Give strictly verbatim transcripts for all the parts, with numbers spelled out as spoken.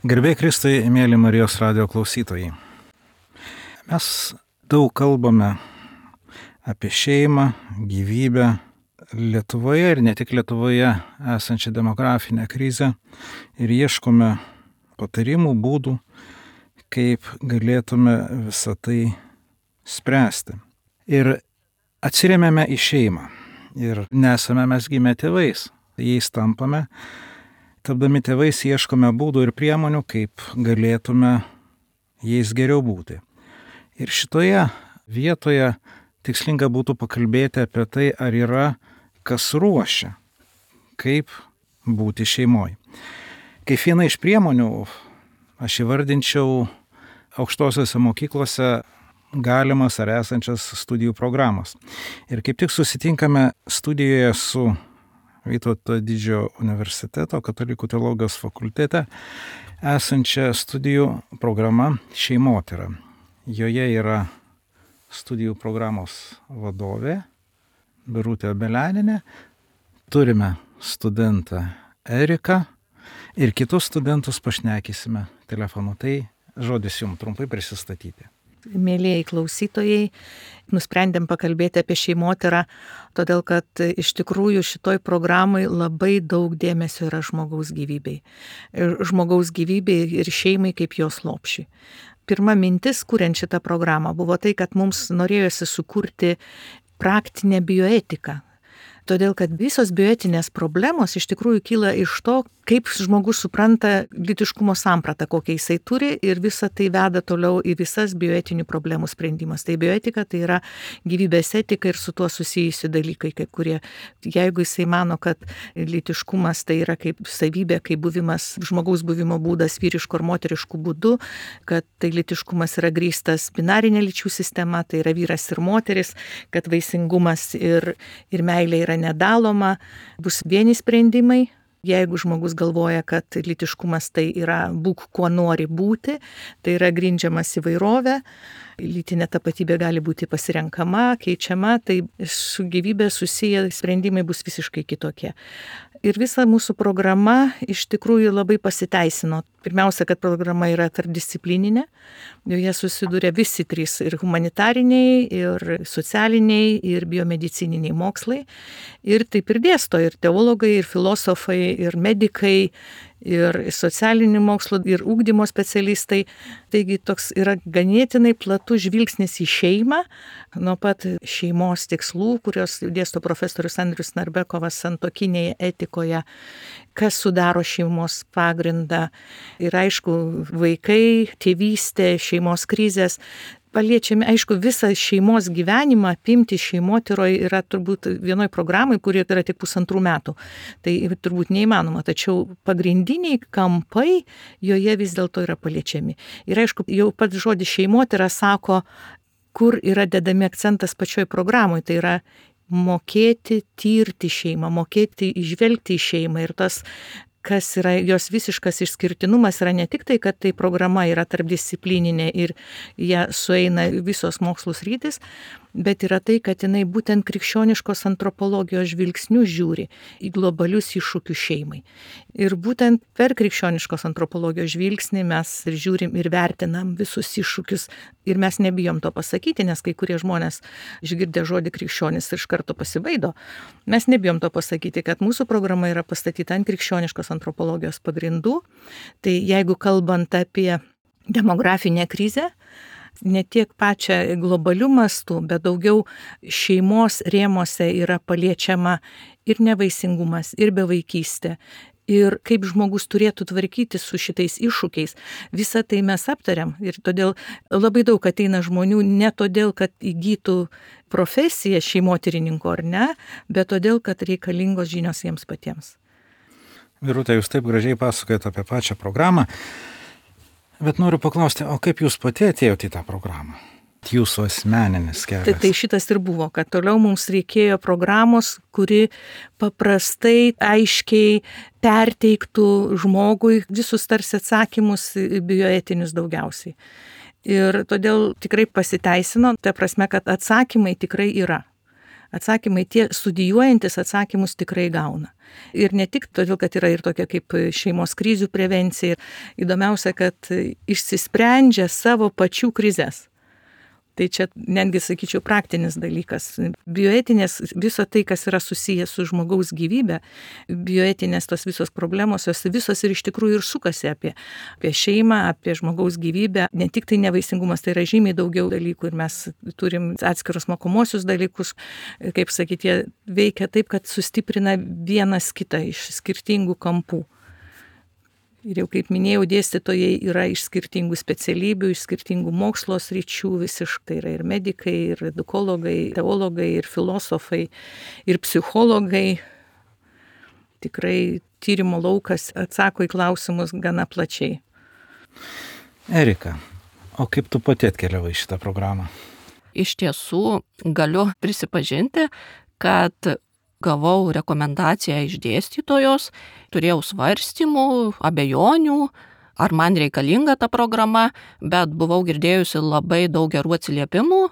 Garbė Kristui, mėly Marijos radijo klausytojai. Mes daug kalbame apie šeimą, gyvybę, Lietuvoje ir ne tik Lietuvoje esančią demografinę krizę ir ieškome patarimų, būdų, kaip galėtume visą tai spręsti. Ir atsiremiame į šeimą ir nesame mes gimę tėvais, jais tampame. Tapdami tėvais ieškome būdų ir priemonių, kaip galėtume jais geriau būti. Ir šitoje vietoje tikslinga būtų pakalbėti apie tai, ar yra kas ruošia, kaip būti šeimoje. Kaip viena iš priemonių aš įvardinčiau aukštosiose mokyklose galimas ar esančias studijų programas. Ir kaip tik susitinkame studijoje su Vytauto Didžiojo universiteto Katalikų teologijos fakultete esančia studijų programa Šeimotyra. Joje yra studijų programos vadovė Birutė Beleninė, turime studentą Eriką ir kitus studentus pašnekysime telefonu. Tai žodis jums trumpai prisistatyti. Mėlėjai klausytojai, nusprendėm pakalbėti apie šeimotyrą, todėl kad iš tikrųjų šitoj programai labai daug dėmesio yra žmogaus gyvybei. Žmogaus gyvybei ir šeimai kaip jos lopšiui. Pirma mintis, kuriant šitą programą, buvo tai, kad mums norėjosi sukurti praktinę bioetiką. Todėl, kad visos bioetinės problemos iš tikrųjų kyla iš to, kaip žmogus supranta lytiškumo sampratą, kokią jisai turi, ir visa tai veda toliau į visas bioetinių problemų sprendimas. Tai bioetika tai yra gyvybės etika ir su tuo susijusi dalykai, kaip kurie, jeigu jisai mano, kad lytiškumas tai yra kaip savybė, kaip buvimas, žmogaus buvimo būdas vyriško ar moteriškų būdų, kad tai lytiškumas yra grįstas binarinė lyčių sistema, tai yra vyras ir moteris, kad vaisingumas ir, ir meilė yra nedaloma, bus vieni sprendimai. Jeigu žmogus galvoja, kad lytiškumas tai yra būk kuo nori būti, tai yra grindžiamas įvairovė, lytinė tapatybė gali būti pasirenkama, keičiama, tai su gyvybė susiję sprendimai bus visiškai kitokie. Ir visa mūsų programa iš tikrųjų labai pasiteisino. Pirmiausia, kad programa yra tarpdisciplininė, joje susiduria visi trys ir humanitariniai, ir socialiniai, ir biomedicininiai mokslai. Ir taip ir dėsto ir teologai, ir filosofai, ir medikai, ir socialinių mokslų, ir ugdymo specialistai. Taigi toks yra ganėtinai platus žvilgsnis į šeimą, nuo pat šeimos tikslų, kurios dėsto profesorius Andrius Narbekovas santuokinėje etikoje, kas sudaro šeimos pagrindą. Ir aišku, vaikai, tėvystė, šeimos krizės. Paliečiame, aišku, visą šeimos gyvenimą apimti šeimotyroje yra turbūt vienoj programai, kuri yra tik pusantrų metų. Tai turbūt neįmanoma, tačiau pagrindiniai kampai joje vis dėlto yra paliečiami. Ir aišku, jau pats žodis šeimotyra sako, kur yra dedami akcentas pačioj programoje. Tai yra mokėti tirti šeimą, mokėti įžvelgti į šeimą. Ir tas kas yra jos visiškas išskirtinumas, yra ne tik tai, kad tai programa yra tarpdisciplininė ir ją sueina visos mokslų sritys, bet yra tai, kad jinai būtent krikščioniškos antropologijos žvilgsnių žiūri į globalius iššūkius šeimai. Ir būtent per krikščioniškos antropologijos žvilgsnį mes ir žiūrim ir vertinam visus iššūkius. Ir mes nebijom to pasakyti, nes kai kurie žmonės išgirdę žodį krikščionis iš karto pasibaido. Mes nebijom to pasakyti, kad mūsų programa yra pastatyta ant krikščioniškos antropologijos pagrindų. Tai jeigu kalbant apie demografinę krizę, ne tiek pačią globalių mastų, bet daugiau šeimos rėmose yra paliečiama ir nevaisingumas, ir bevaikystė, ir kaip žmogus turėtų tvarkyti su šitais iššūkiais. Visą tai mes aptariam ir todėl labai daug ateina žmonių ne todėl, kad įgytų profesiją šeimotyrininko ar ne, bet todėl, kad reikalingos žinios jiems patiems. Birutė, jūs taip gražiai pasakojate apie pačią programą. Bet noriu paklausti, o kaip jūs pati atėjote į tą programą? Jūsų asmeninis kelias. Tai, tai šitas ir buvo, kad toliau mums reikėjo programos, kuri paprastai, aiškiai perteiktų žmogui visus tarsi atsakymus bioetinius daugiausiai. Ir todėl tikrai pasiteisino, ta prasme, kad atsakymai tikrai yra. Atsakymai, tie studijuojantis atsakymus tikrai gauna. Ir ne tik todėl, kad yra ir tokia kaip šeimos krizių prevencija. Įdomiausia, kad išsisprendžia savo pačių krizės. Tai čia netgi, sakyčiau, praktinis dalykas. Bioetinės, viso tai, kas yra susijęs su žmogaus gyvybė, bioetinės tos visos problemos, jos visos ir iš tikrųjų ir sukasi apie, apie šeimą, apie žmogaus gyvybę. Ne tik tai nevaisingumas, tai yra žymiai daugiau dalykų ir mes turim atskirus mokomosius dalykus, kaip sakyti, jie veikia taip, kad sustiprina vienas kitą iš skirtingų kampų. Ir jau kaip minėjau, dėstytojai yra iš skirtingų specialybių, iš skirtingų mokslo sričių, visiškai yra ir medikai, ir edukologai, teologai, ir filosofai, ir psichologai. Tikrai tyrimo laukas atsako į klausimus gana plačiai. Erika, o kaip tu pati atkeliavai šitą programą? Iš tiesų galiu prisipažinti, kad gavau rekomendaciją iš dėstytojos, turėjau svarstymų, abejonių, ar man reikalinga ta programa, bet buvau girdėjusi labai daug gerų atsiliepimų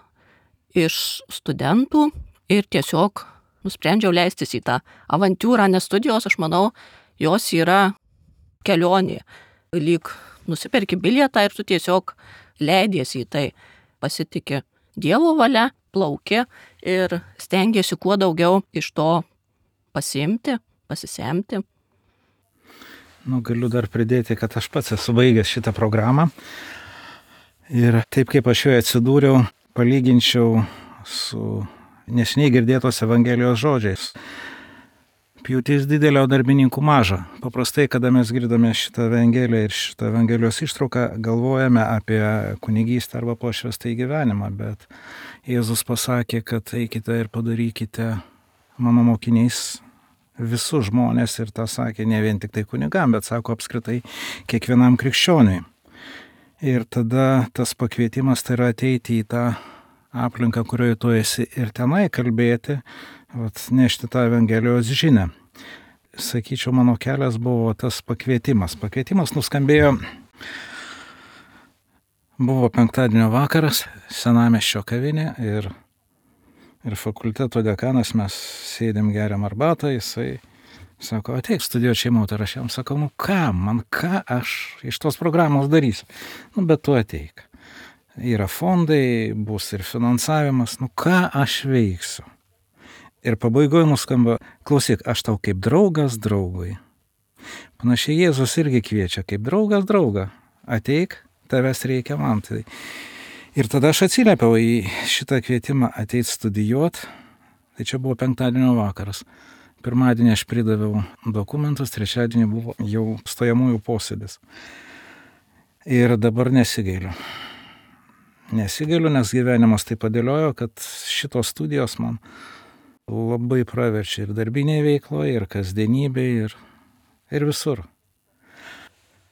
iš studentų ir tiesiog nusprendžiau leistis į tą avantiūrą, nes studijos, aš manau, jos yra kelionė. Lyg nusiperki bilietą ir tu tiesiog leidiesi į tai, pasitiki Dievo valia, plauki ir stengiasi kuo daugiau iš to pasiimti, pasisemti. Nu, galiu dar pridėti, kad aš pats esu baigęs šitą programą ir taip kaip aš joje atsidūriau, palyginčiau su neseniai girdėtos Evangelijos žodžiais. Pjūtis didelė, o darbininkų maža. Paprastai, kada mes girdame šitą Evangeliją ir šitą Evangelijos ištrauką, galvojame apie kunigystę arba pašvęstąjį gyvenimą, bet Jėzus pasakė, kad eikite ir padarykite mano mokiniais visus žmonės, ir tą sakė ne vien tik tai kunigam, bet sako apskritai kiekvienam krikščioniui. Ir tada tas pakvietimas tai yra ateiti į tą aplinką, kurioje tu esi, ir tenai kalbėti, vat, nešti tą Evangelijos žinią. Sakyčiau, mano kelias buvo tas pakvietimas. Pakvietimas nuskambėjo, buvo penktadienio vakaras, Senamiesčio kavinė ir, ir fakulteto dekanas, mes sėdėm geriam arbatą, jisai sako, ateik studijuoti šeimotyrą. Aš jam sakau, nu ką, man ką aš iš tos programos darysiu? Nu, bet tu ateik. Yra fondai, bus ir finansavimas, nu ką aš veiksiu? Ir pabaigoje nuskamba, klausyk, aš tau kaip draugas draugui. Panašiai Jėzus irgi kviečia, kaip draugas draugą. Ateik, tavęs reikia man. Tai. Ir tada aš atsiliepiau į šitą kvietimą ateit studijuot. Tai čia buvo penktadienio vakaras. Pirmadienį aš pridaviau dokumentus, trečiadienį buvo jau stojamųjų posėdis. Ir dabar nesigailiu. Nesigailiu, nes gyvenimas taip padėliojo, kad šitos studijos man labai praverčia ir darbinėje veikloje, ir kasdienybėje, ir, ir visur.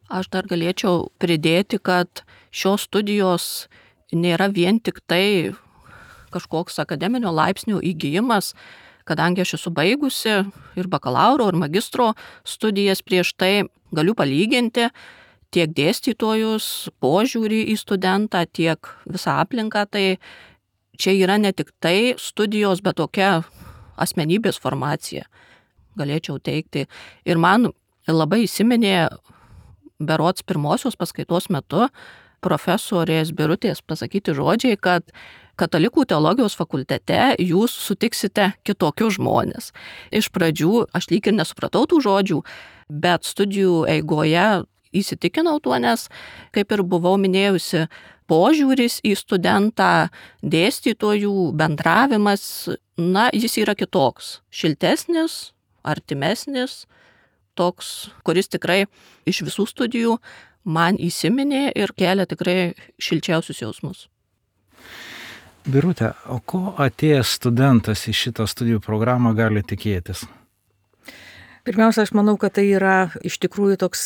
Aš dar galėčiau pridėti, kad šios studijos nėra vien tik tai kažkoks akademinio laipsnio įgijimas, kadangi aš esu baigusi ir bakalauro, ir magistro studijas prieš tai, galiu palyginti tiek dėstytojus, požiūrį į studentą, tiek visą aplinką, tai čia yra ne tik tai studijos, bet tokia asmenybės formacija, galėčiau teikti. Ir man labai įsiminė berods pirmosios paskaitos metu profesorės Birutės pasakyti žodžiai, kad Katalikų teologijos fakultete jūs sutiksite kitokius žmonės. Iš pradžių aš lyg ir nesupratau tų žodžių, bet studijų eigoje įsitikinau tuo, nes, kaip ir buvau minėjusi, požiūris į studentą, dėstytojų bendravimas, na, jis yra kitoks, šiltesnis, artimesnis, toks, kuris tikrai iš visų studijų man įsiminė ir kelia tikrai šilčiausius jausmus. Birute, o ko atėjęs studentas į šitą studijų programą gali tikėtis? Pirmiausia, aš manau, kad tai yra iš tikrųjų toks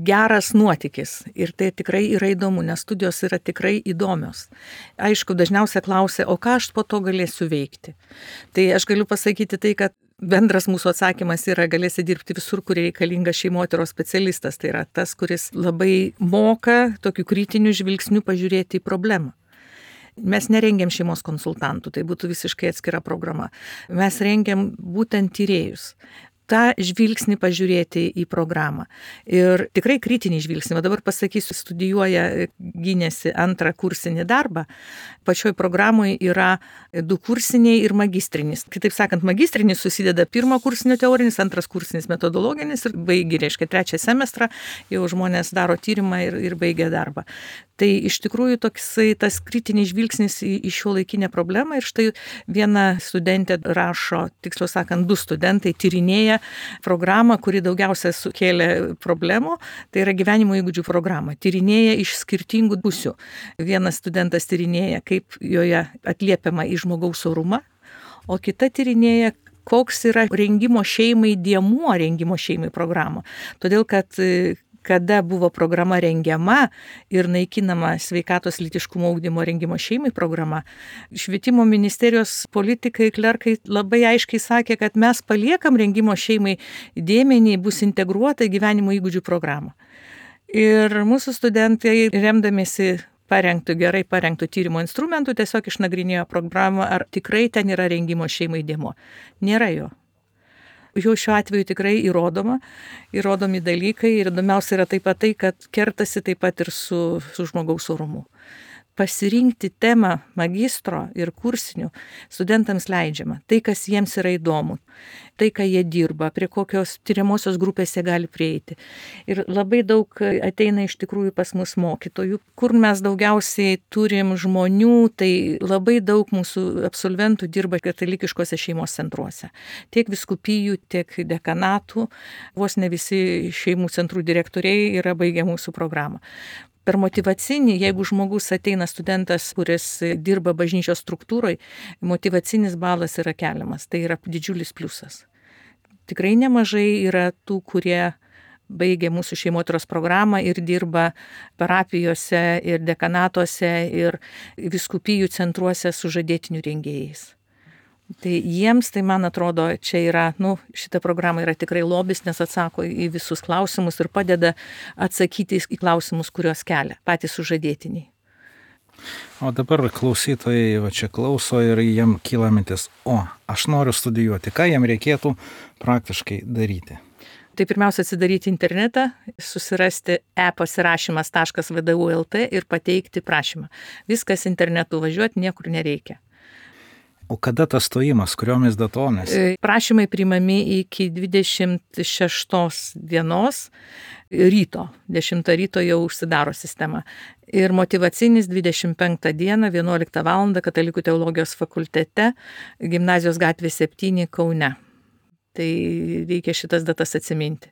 geras nuotykis ir tai tikrai yra įdomu, nes studijos yra tikrai įdomios. Aišku, dažniausiai klausia, o ką aš po to galėsiu veikti. Tai aš galiu pasakyti tai, kad bendras mūsų atsakymas yra, galėsi dirbti visur, kur reikalingas šeimotyros specialistas. Tai yra tas, kuris labai moka tokiu kritiniu žvilgsniu pažiūrėti į problemą. Mes nerengiam šeimos konsultantų, tai būtų visiškai atskira programa. Mes rengiam būtent tyrėjus. tą žvilgsnį pažiūrėti į programą. Ir tikrai kritinį žvilgsnį. O dabar pasakysiu, studijuoja, gynėsi antrą kursinį darbą. Pačioj programoje yra du kursiniai ir magistrinis. Kitaip sakant, magistrinis susideda pirmo kursinio teorinis, antras kursinis metodologinis ir baigi, reiškia, trečią semestrą jau žmonės daro tyrimą ir, ir baigia darbą. Tai iš tikrųjų toksai tas kritinis žvilgsnis į, į šio laikinę problemą ir štai viena studentė rašo, tiksliau sakant, du studentai tyrinėja programą, kuri daugiausia sukėlė problemų, tai yra gyvenimo įgūdžių programa. Tyrinėja iš skirtingų pusių. Vienas studentas tyrinėja, kaip joje atliepiama į žmogaus orumą, o kita tyrinėja, koks yra rengimo šeimai dėmuo rengimo šeimai programų. Todėl, kad kada buvo programa rengiama ir naikinama sveikatos lytiškumo ugdymo rengimo šeimai programa, švietimo ministerijos politikai, klerkai labai aiškiai sakė, kad mes paliekam rengimo šeimai dėmenį, bus integruota į gyvenimo įgūdžių programą. Ir mūsų studentai, remdamiesi parengtų, gerai parengtų tyrimo instrumentų, tiesiog išnagrinėjo programą, ar tikrai ten yra rengimo šeimai dėmuo. Nėra jo. Jau šiuo atveju tikrai įrodoma, įrodomi dalykai ir įdomiausia yra taip pat tai, kad kertasi taip pat ir su, su žmogaus orumu. Pasirinkti temą magistro ir kursinių studentams leidžiama. Tai, kas jiems yra įdomu, tai, ką jie dirba, prie kokios tyriamosios grupės jie gali prieiti. Ir labai daug ateina iš tikrųjų pas mus mokytojų, kur mes daugiausiai turim žmonių, tai labai daug mūsų absolventų dirba katalikiškose šeimos centruose. Tiek vyskupijų, tiek dekanatų, vos ne visi šeimų centrų direktoriai yra baigę mūsų programą. Per motyvacinį, jeigu žmogus ateina studentas, kuris dirba bažnyčios struktūroje, motyvacinis balas yra keliamas. Tai yra didžiulis pliusas. Tikrai nemažai yra tų, kurie baigė mūsų šeimotyros programą ir dirba parapijose ir dekanatuose ir vyskupijų centruose su žadėtinių rengėjais. Tai jiems, tai man atrodo, čia yra, nu, šita programa yra tikrai lobis, nes atsako į visus klausimus ir padeda atsakyti į klausimus, kuriuos kelia patys sužadėtiniai. O dabar klausytojai va čia klauso ir jiem kyla mintis, o, aš noriu studijuoti, ką jiem reikėtų praktiškai daryti? Tai pirmiausia atsidaryti internetą, susirasti e pasirašymas taškas v d u taškas l t ir pateikti prašymą. Viskas internetu, važiuoti niekur nereikia. O kada tas stojimas, kuriomis datomis? Prašymai priimami iki dvidešimt šeštos dienos ryto. dešimtą ryto jau užsidaro sistema. Ir motyvacinis dvidešimt penktą dieną, vienuoliktą valandą Katalikų teologijos fakultete, Gimnazijos gatvė septyni Kaune. Tai reikia šitas datas atsiminti.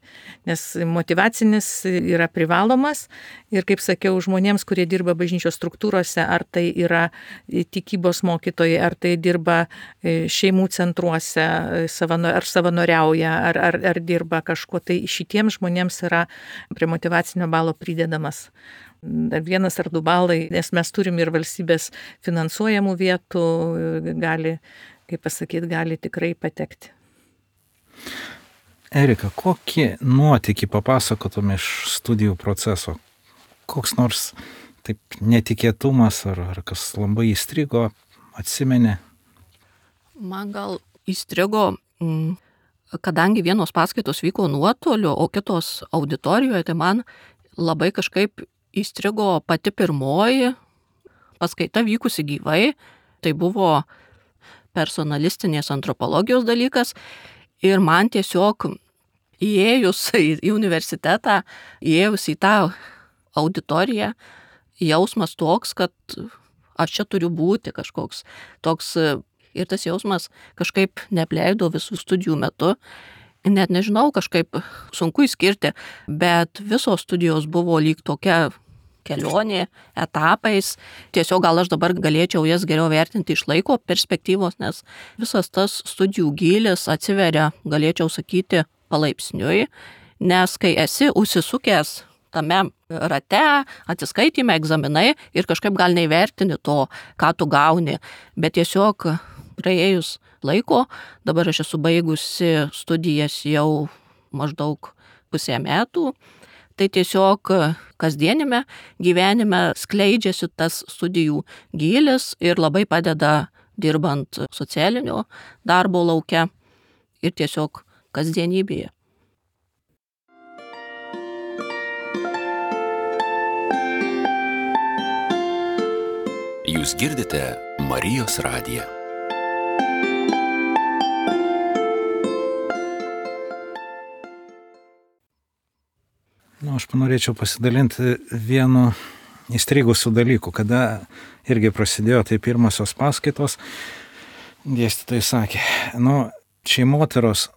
Nes motyvacinis yra privalomas ir, kaip sakiau, žmonėms, kurie dirba bažnyčios struktūrose, ar tai yra tikybos mokytojai, ar tai dirba šeimų centruose, ar savanoriauja, ar, ar, ar dirba kažko, tai šitiems žmonėms yra prie motyvacinio balo pridedamas dar vienas ar du balai, nes mes turim ir valstybės finansuojamų vietų, gali, kaip pasakyti, gali tikrai patekti. Erika, kokį nuotykį papasakotum iš studijų proceso? Koks nors taip netikėtumas ar, ar kas labai įstrigo, atsimeni? Man gal įstrigo, kadangi vienos paskaitos vyko nuotoliu, o kitos auditorijoje, tai man labai kažkaip įstrigo pati pirmoji paskaita vykusi gyvai. Tai buvo personalistinės antropologijos dalykas. Ir man tiesiog įėjus į universitetą, įėjus į tą auditoriją, jausmas toks, kad aš čia turiu būti kažkoks toks. Ir tas jausmas kažkaip neapleido visų studijų metu. Net nežinau, kažkaip sunku įskirti, bet visos studijos buvo lyg tokia kelionė, etapais. Tiesiog gal aš dabar galėčiau jas geriau vertinti iš laiko perspektyvos, nes visas tas studijų gylis atsiveria, galėčiau sakyti, palaipsniui, nes kai esi užsisukęs tame rate, atsiskaitime, egzaminai ir kažkaip gal neįvertini to, ką tu gauni, bet tiesiog praėjus laiko, dabar aš esu baigusi studijas jau maždaug pusę metų, tai tiesiog kasdienime gyvenime skleidžiasi tas studijų gylis ir labai padeda dirbant socialinio darbo lauke ir tiesiog kasdienybėje. Jūs girdite Marijos radiją. Nu, aš panorėčiau pasidalinti vienu įstrigusių dalykų, kada irgi prasidėjo tai pirmosios paskaitos, dėstytojai sakė, nu, šeimotyros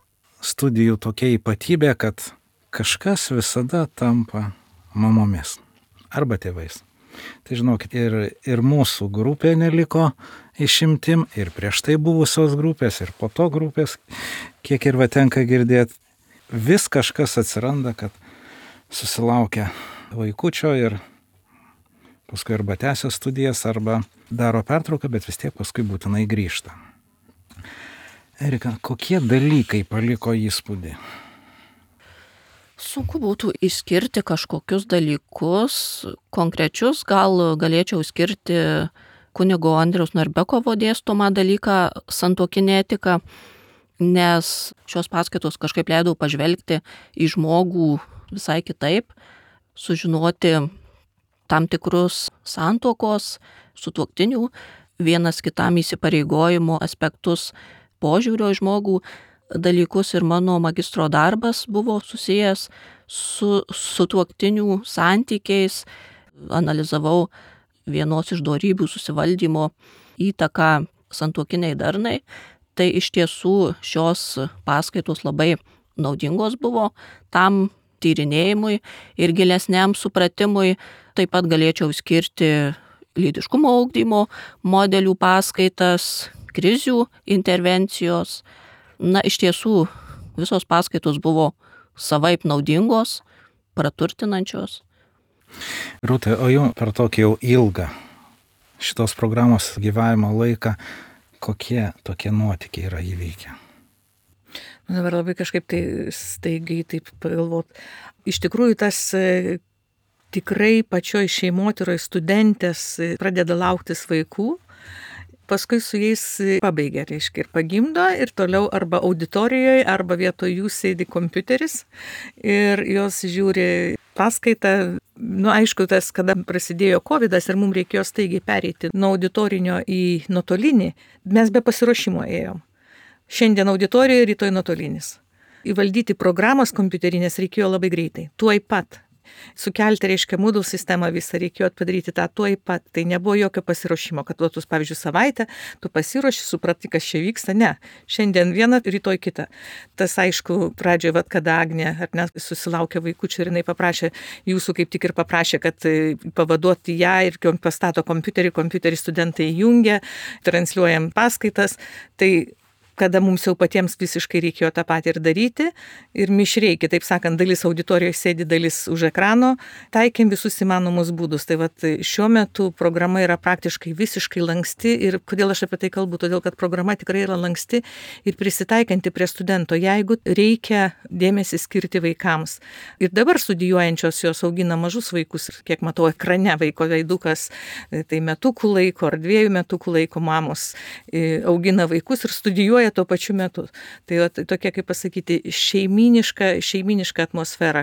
studijų tokia ypatybė, kad kažkas visada tampa mamomis arba tėvais. Tai žinokit, ir, ir mūsų grupė neliko išimtim, ir prieš tai buvusios grupės, ir po to grupės, kiek ir va tenka girdėti, vis kažkas atsiranda, kad susilaukia vaikučio ir paskui arba tęsia studijas, arba daro pertrauką, bet vis tiek paskui būtinai grįžta. Erika, kokie dalykai paliko įspūdį? Sunku būtų išskirti kažkokius dalykus, konkrečius, gal galėčiau skirti kunigo Andriaus Narbekovo dėstomą dalyką santuokinė etika, nes šios paskaitos kažkaip leidau pažvelgti į žmogų visai kitaip, sužinoti tam tikrus santuokos, sutuoktinių, vienas kitam įsipareigojimo aspektus, požiūrio į žmogų dalykus ir mano magistro darbas buvo susijęs su sutuoktinių santykiais, analizavau vienos iš dorybių susivaldymo įtaką santuokiniai darnai, tai iš tiesų šios paskaitos labai naudingos buvo tam tyrinėjimui ir gilesniam supratimui. Taip pat galėčiau skirti lytiškumo ugdymo modelių paskaitas, krizių intervencijos. Na, iš tiesų, visos paskaitos buvo savaip naudingos, praturtinančios. Rūta, o jau per tokį jau ilgą šitos programos gyvavimo laiką, kokie tokie nuotykiai yra įvykę? Man dabar labai kažkaip tai staigiai taip pagalvot. Iš tikrųjų, tas tikrai pačioj šeimotyroj studentės pradeda lauktis vaikų, paskui su jais pabaigia, reiškia, ir pagimdo, ir toliau arba auditorijoje, arba vietoj jų sėdi kompiuteris ir jos žiūri paskaitą. Nu, aišku, tas, kada prasidėjo kovidas ir mums reikėjo staigiai pereiti nuo auditorinio į nuotolinį, mes be pasiruošimo ėjom. Šiandien auditorijoje, rytoj nuotolinis. Įvaldyti programas kompiuterinės reikėjo labai greitai, tuoj pat. Sukelti, reiškia, Moodle sistemą visą reikėjo padaryti tą tuoj pat. Tai nebuvo jokio pasiruošimo, kad duotus, pavyzdžiui, savaitę, tu pasiruoši, suprati, kas čia vyksta. Ne, šiandien vieną, rytoj kitą. Tas, aišku, pradžioje, vat, kada Agnė, ar ne, susilaukė vaikučių ir jinai paprašė, jūsų kaip tik ir paprašė, kad pavaduoti ją ir pastato kompiuterį, kompiuterį studentai jungia, transliuojam paskaitas. Tai kada mums jau patiems visiškai reikėjo tą patį ir daryti, ir mišriai, kitaip sakant, dalis auditorijoje sėdi, dalis už ekrano, taikėm visus įmanomus būdus. Tai vat šiuo metu programa yra praktiškai visiškai lanksti, ir kodėl aš apie tai kalbu, todėl kad programa tikrai yra lanksti ir prisitaikanti prie studento, jeigu reikia dėmesį skirti vaikams. Ir dabar studijuojančios jos augina mažus vaikus, kiek matau ekrane vaiko veidukas, tai metukų laiko ar dviejų metukų laiko mamos augina vaikus ir studijuoja tuo pačiu metu. Tai va, tokia, kaip pasakyti, šeiminiška, šeiminiška atmosfera.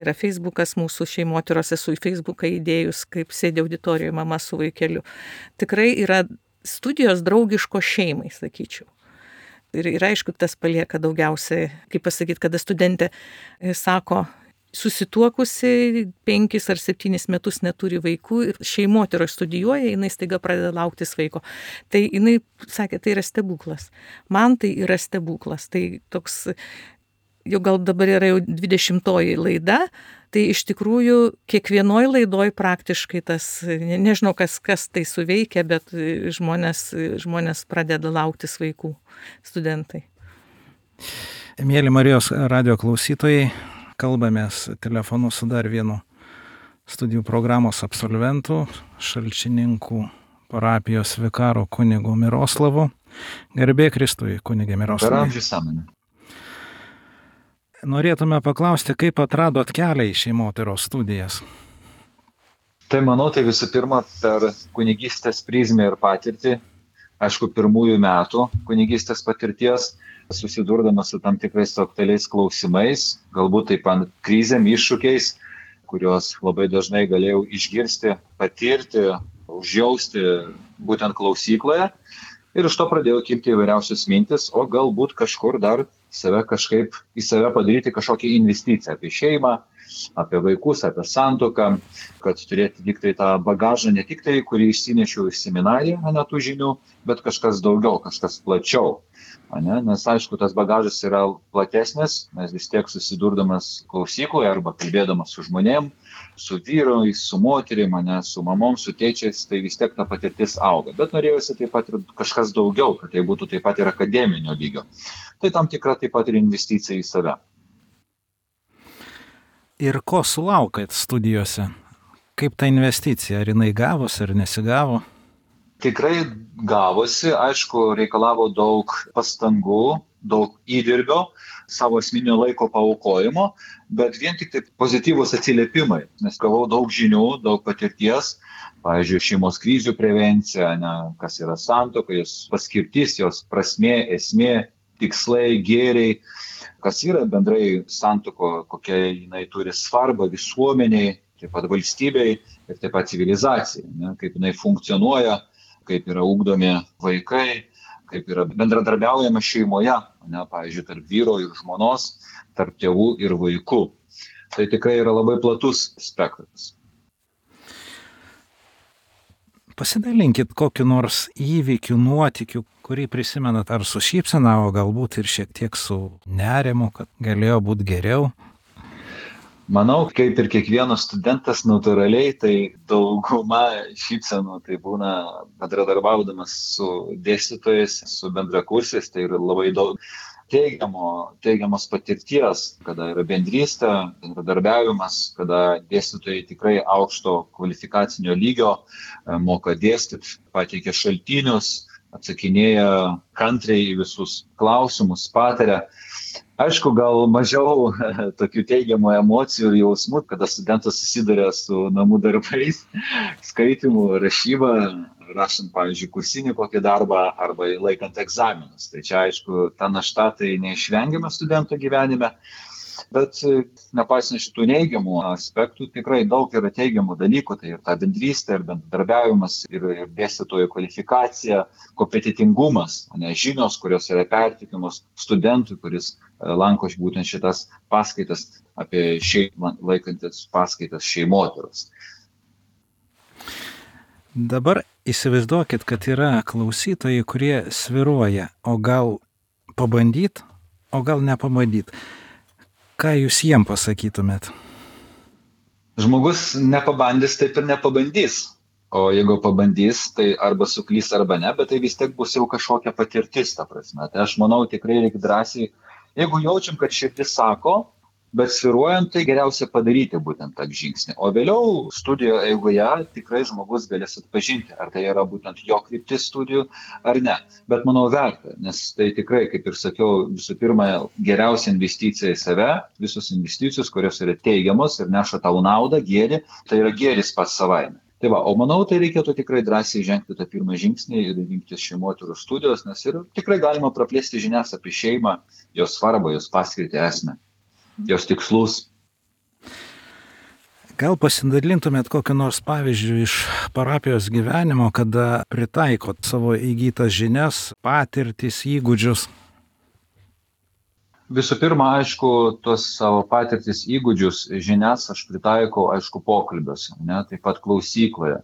Yra Facebookas mūsų šeimotyros, esu į Facebooką įdėjus, kaip sėdė auditorijoje mama su vaikeliu. Tikrai yra studijos draugiško šeimai, sakyčiau. Ir, ir aišku, tas palieka daugiausiai, kaip pasakyti, kada studentė sako, susituokusi penkis ar septynis metus neturi vaikų ir šeimotyroje studijuoja, jinai staiga pradeda lauktis vaiko. Tai jinai sakė, tai yra stebuklas. Man tai yra stebuklas. Tai toks, jau gal dabar yra jau dvidešimtoji laida, tai iš tikrųjų kiekvienoj laidoj praktiškai tas, ne, nežinau kas, kas tai suveikia, bet žmonės, žmonės pradeda lauktis vaikų, studentai. Mėly Marijos radijo klausytojai, kalbamės telefonu su dar vienu studijų programos absolventu, Šalčininkų parapijos vikaro kunigu Miroslavu. Garbė Kristui, kunigė Miroslavai. norėtume paklausti, kaip atradot kelią į šeimotyros studijas? Tai manau, tai visų pirma per kunigystės prizmę ir patirtį, aišku, pirmųjų metų kunigystės patirties, susidurdamas su tam tikrais aktualiais klausimais, galbūt taip pat krizėm, iššūkiais, kuriuos labai dažnai galėjau išgirsti, patirti, užjausti būtent klausykloje. Ir iš to pradėjau kilti įvairiausios mintis, o galbūt kažkur dar save kažkaip į save padaryti kažkokią investiciją apie šeimą, apie vaikus, apie santuoką, kad turėti tik tai tą bagažą, ne tik tai, kurį išsinešiau iš seminariją, ne tų žinių, bet kažkas daugiau, kažkas plačiau. Ne? Nes aišku, tas bagažas yra platesnis, nes vis tiek susidurdamas klausykloje arba kalbėdamas su žmonėm, su vyrais, su moterim, ne, su mamom, su tėčiais, tai vis tiek ta patirtis auga. Bet norėjusi taip pat ir kažkas daugiau, kad tai būtų taip pat ir akademinio lygio. Tai tam tikra taip pat ir investicija į save. Ir ko sulaukat studijose? Kaip ta investicija? Ar jinai gavosi, ar nesigavo? Tikrai gavosi, aišku, reikalavo daug pastangų, daug įdirbio, savo asmeninio laiko paaukojimo, bet vien tik tai pozityvūs atsiliepimai, nes gavau daug žinių, daug patirties, pavyzdžiui, šeimos krizių prevencija, ne, kas yra santuoka, jos paskirtis, jos prasmė, esmė, tikslai, gėriai, kas yra bendrai santuoko, kokia jinai turi svarbą visuomeniai, taip pat valstybei ir taip pat civilizacijai, ne, kaip jinai funkcionuoja, kaip yra ugdomi vaikai, kaip yra bendradarbiaujama šeimoje, ne, pavyzdžiui, tarp vyro ir žmonos, tarp tėvų ir vaikų. Tai tikrai yra labai platus spektras. Pasidalinkit kokiu nors įvykiu, nuotykiu, kurį prisimenat ar su šypsena, o galbūt ir šiek tiek su nerimu, kad galėjo būti geriau. Manau, kaip ir kiekvienas studentas natūraliai, tai dauguma šypsenų tai būna bendradarbiaudamas su dėstytojais, su bendrakursiais, tai yra labai daug teigiamo, teigiamos patirties, kada yra bendrystė, bendradarbiavimas, kada dėstytojai tikrai aukšto kvalifikacinio lygio moka dėstyti, pateikia šaltinius, atsakinėja kantriai į visus klausimus, pataria. Aišku, gal mažiau tokių teigiamų emocijų ir jausmų, kada studentas susiduria su namų darbais, skaitimu, rašyba, rašant, pavyzdžiui, kursinį kokį darbą arba laikant egzaminus. Tai čia, aišku, ta našta tai neišvengiama studento gyvenime, bet nepaisant šitų neigiamų aspektų, tikrai daug yra teigiamų dalykų, tai ir ta bendrystė, ir bendradarbiavimas, ir, ir dėstytojų kvalifikacija, kompetitingumas, ne, žinios, kurios yra pertikimos studentui, kuris lanko būtent šitas paskaitas apie šeimą, laikantis paskaitas šeimotyros. Dabar įsivaizduokit, kad yra klausytojai, kurie svyruoja, o gal pabandyt, o gal nepabandyt. Ką jūs jiem pasakytumėt? Žmogus nepabandys, taip ir nepabandys. O jeigu pabandys, tai arba suklys, arba ne, bet tai vis tiek bus jau kažkokia patirtis, ta prasme. Tai aš manau, tikrai reikia drąsiai, jeigu jaučiam, kad širdis sako, bet svyruojant, tai geriausia padaryti būtent tą žingsnį. O vėliau studijo eigoje tikrai žmogus galės atpažinti, ar tai yra būtent jo kryptis studijų, ar ne. Bet manau verta, nes tai tikrai, kaip ir sakiau, visų pirma, geriausia investicija į save, visos investicijos, kurios yra teigiamos ir neša tau naudą, gėrį, tai yra gėris pats savaime. Tai va, o manau, tai reikėtų tikrai drąsiai žengti tą pirmą žingsnį ir rinktis šeimotyros studijos, nes ir tikrai galima praplėsti žinias apie šeimą, jos svarbą, jos paskirtį, esmę, jos tikslus. Gal pasidalintumėt kokiu nors pavyzdžiu iš parapijos gyvenimo, kada pritaikot savo įgytas žinias, patirtis, įgūdžius? Visų pirma, aišku, tuos savo patirtis, įgūdžius, žinias aš pritaikau, aišku, pokalbiuose, ne, taip pat klausykloje,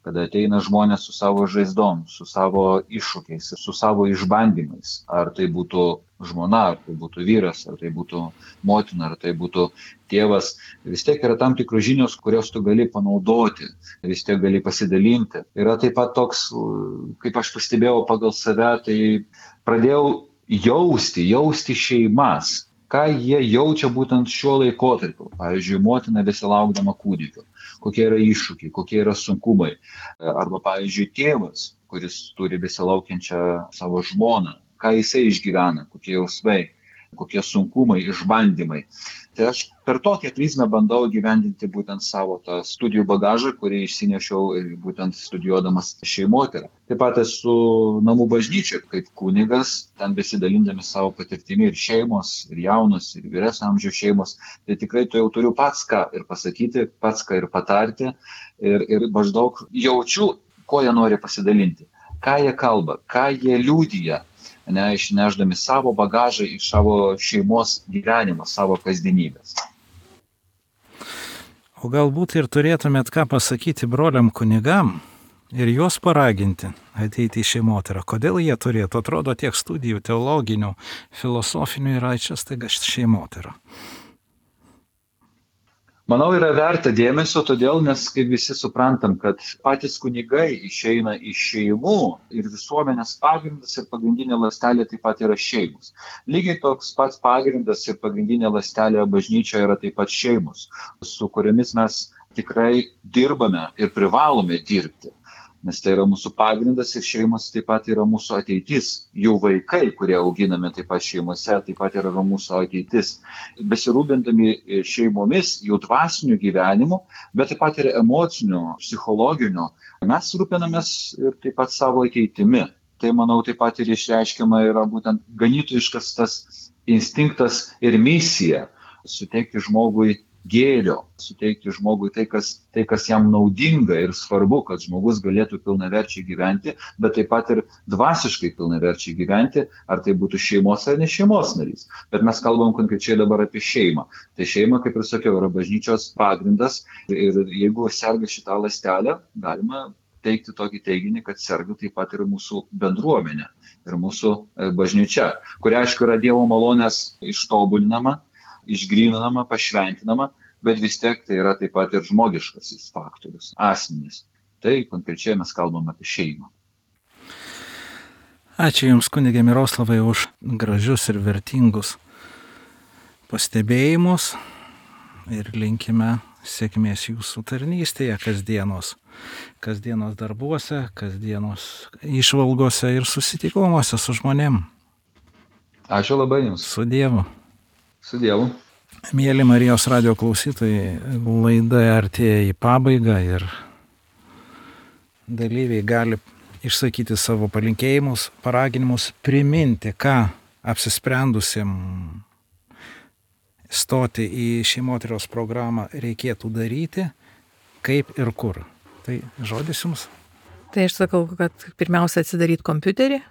kada ateina žmonės su savo žaizdom, su savo iššūkiais, su savo išbandymais. Ar tai būtų žmona, ar tai būtų vyras, ar tai būtų motina, ar tai būtų tėvas. Vis tiek yra tam tikrų žinios, kurios tu gali panaudoti, vis tiek gali pasidalinti. Yra taip pat toks, kaip aš pastebėjau pagal save, tai pradėjau jausti, jausti šeimas, ką jie jaučia būtent šiuo laikotarpiu. Pavyzdžiui, motina besilaukdama kūdikio, kokie yra iššūkiai, kokie yra sunkumai. Arba, pavyzdžiui, tėvas, kuris turi besilaukiančią savo žmoną, ką jisai išgyvena, kokie jausmai. kokie sunkumai, išbandymai. Tai aš per tokią prizmę bandau gyvendinti būtent savo tą studijų bagažą, kurį išsinešiau būtent studijuodamas šeimotyrą. Taip pat esu namų bažnyčia kaip kunigas, ten besidalindami savo patirtimi ir šeimos, ir jaunos, ir vyresnio amžiaus šeimos. Tai tikrai tu jau turiu pats ką ir pasakyti, pats ką ir patarti. Ir, ir maždaug jaučiu, ko jie nori pasidalinti, ką jie kalba, ką jie liudija, ne, išneždami savo bagažą iš savo šeimos gyvenimo, savo kasdienybės. O galbūt ir turėtumėt ką pasakyti broliam kunigam ir juos paraginti ateiti į šeimotyrą. Kodėl jie turėtų? Atrodo, tiek studijų teologinių, filosofinių yra čia staiga šeimotyra. Manau, yra verta dėmesio, todėl, nes kaip visi suprantam, kad patys kunigai išeina iš šeimų ir visuomenės pagrindas ir pagrindinė ląstelė taip pat yra šeimos. Lygiai toks pats pagrindas ir pagrindinė ląstelė bažnyčioje yra taip pat šeimos, su kuriomis mes tikrai dirbame ir privalome dirbti. Nes tai yra mūsų pagrindas ir šeimos taip pat yra mūsų ateitis. Jų vaikai, kurie auginami taip pat šeimose, taip pat yra mūsų ateitis. Besirūpindami šeimomis, jų dvasiniu gyvenimu, bet taip pat ir emociniu, psichologiniu, mes rūpinamės ir taip pat savo ateitimi. Tai, manau, taip pat ir išreiškiama yra būtent ganytojiškas tas instinktas ir misija suteikti žmogui gėrio, suteikti žmogui tai kas, tai, kas jam naudinga ir svarbu, kad žmogus galėtų pilnaverčiai gyventi, bet taip pat ir dvasiškai pilnaverčiai gyventi, ar tai būtų šeimos ar ne šeimos narys. Bet mes kalbam konkrečiai dabar apie šeimą. Tai šeima, kaip ir sakiau, yra bažnyčios pagrindas ir jeigu serga šitą ląstelę, galima teikti tokį teiginį, kad serga taip pat ir mūsų bendruomenė ir mūsų bažnyčia, kuria aišku yra Dievo malonės ištobulinama, išgryninama, pašventinama, bet vis tiek tai yra taip pat ir žmogiškasis faktorius, asmenys. Tai konkrečiai mes kalbam apie šeimą. Ačiū Jums, kunige Miroslavai, už gražius ir vertingus pastebėjimus ir linkime sėkmės Jūsų tarnystėje kasdienos, kasdienos darbuose, kasdienos išvalgose ir susitikimuose su žmonėm. Ačiū labai Jums. Su Dievu. Su Dievu. Mėly Marijos radijo klausytojai, laida artėja į pabaigą ir dalyviai gali išsakyti savo palinkėjimus, paraginimus, priminti, ką apsisprendusim stoti į šeimotyros programą reikėtų daryti, kaip ir kur. Tai žodis Jums. Tai aš sakau, kad pirmiausia atsidaryti kompiuterį,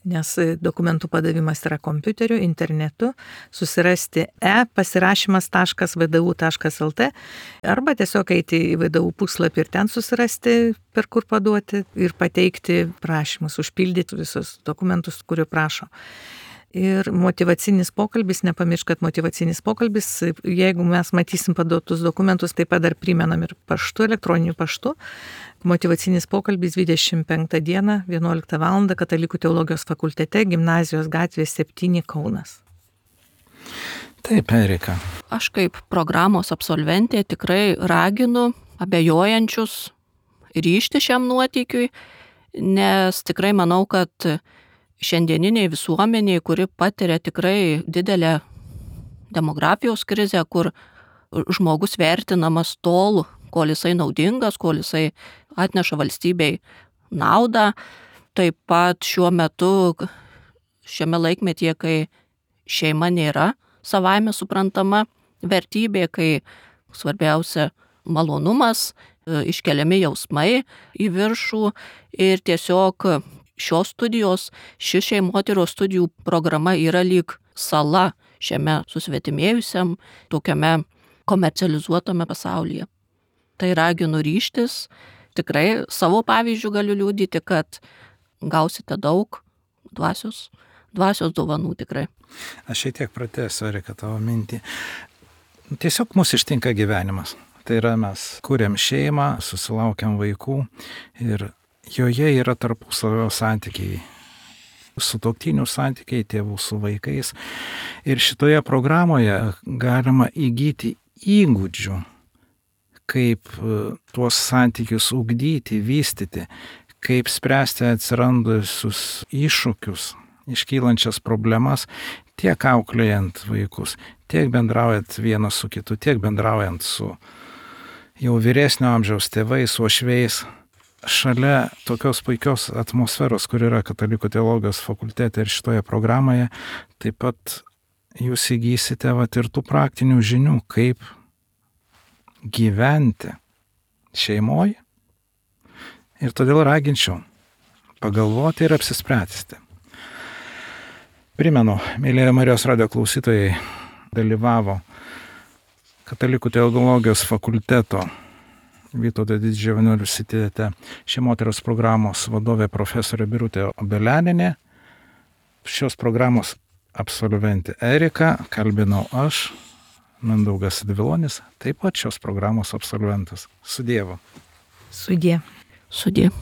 nes dokumentų padavimas yra kompiuteriu, internetu, susirasti e pasirašymas taškas v d u taškas l t arba tiesiog eiti į v d u puslapį ir ten susirasti, per kur paduoti ir pateikti prašymus, užpildyti visus dokumentus, kurių prašo. Ir motyvacinis pokalbis, nepamiršk, kad motyvacinis pokalbis, jeigu mes matysim paduotus dokumentus, taip pat dar primenam ir paštu, elektroniniu paštu. Motyvacinis pokalbis dvidešimt penktą dieną, vienuoliktą valandą, Katalikų teologijos fakultete, Gimnazijos gatvės septyni, Kaunas. Taip, Erika. Aš kaip programos absolventė tikrai raginu abejojančius ryžti šiam nuotykiui, nes tikrai manau, kad šiandieniniai visuomeniai, kuri patiria tikrai didelę demografijos krizę, kur žmogus vertinamas tol, kol jisai naudingas, kol jisai atneša valstybei naudą. Taip pat šiuo metu, šiame laikmetyje, kai šeima nėra savaime suprantama vertybė, kai svarbiausia malonumas, iškeliami jausmai į viršų ir tiesiog šios studijos, ši šeimotyros studijų programa yra lyg sala šiame susvetimėjusiam, tokiame komercializuotame pasaulyje. Tai raginu ryžtis, tikrai savo pavyzdžių galiu liudyti, kad gausite daug dvasios, dvasios dovanų tikrai. Aš šiek tiek pratęsiu, Erika, tavo mintį. Tiesiog mus ištinka gyvenimas. Tai yra, mes kuriam šeimą, susilaukiam vaikų ir joje yra tarpusavio santykiai, sutuoktinių santykiai, tėvų su vaikais. Ir šitoje programoje galima įgyti įgūdžių, kaip tuos santykius ugdyti, vystyti, kaip spręsti atsirandusius iššūkius, iškylančias problemas tiek auklėjant vaikus, tiek bendraujant vienas su kitu, tiek bendraujant su jau vyresnio amžiaus tėvais, uošviais, šalia tokios puikios atmosferos, kur yra Katalikų teologijos fakultete ir šitoje programoje, taip pat jūs įgysite vat ir tų praktinių žinių, kaip gyventi šeimoje. Ir todėl raginčiau pagalvoti ir apsispręsti. Primenu, mėlyje Marijos radijo klausytojai, dalyvavo Katalikų teologijos fakulteto Vytauto Didžiojo universitete šeimotyros programos vadovė profesorė Birutė Obeleninė. Šios programos absolventė Erika, kalbinau aš, Mindaugas Dvilonis, taip pat šios programos absolventas. Su Dievu. Sudie. Sudie.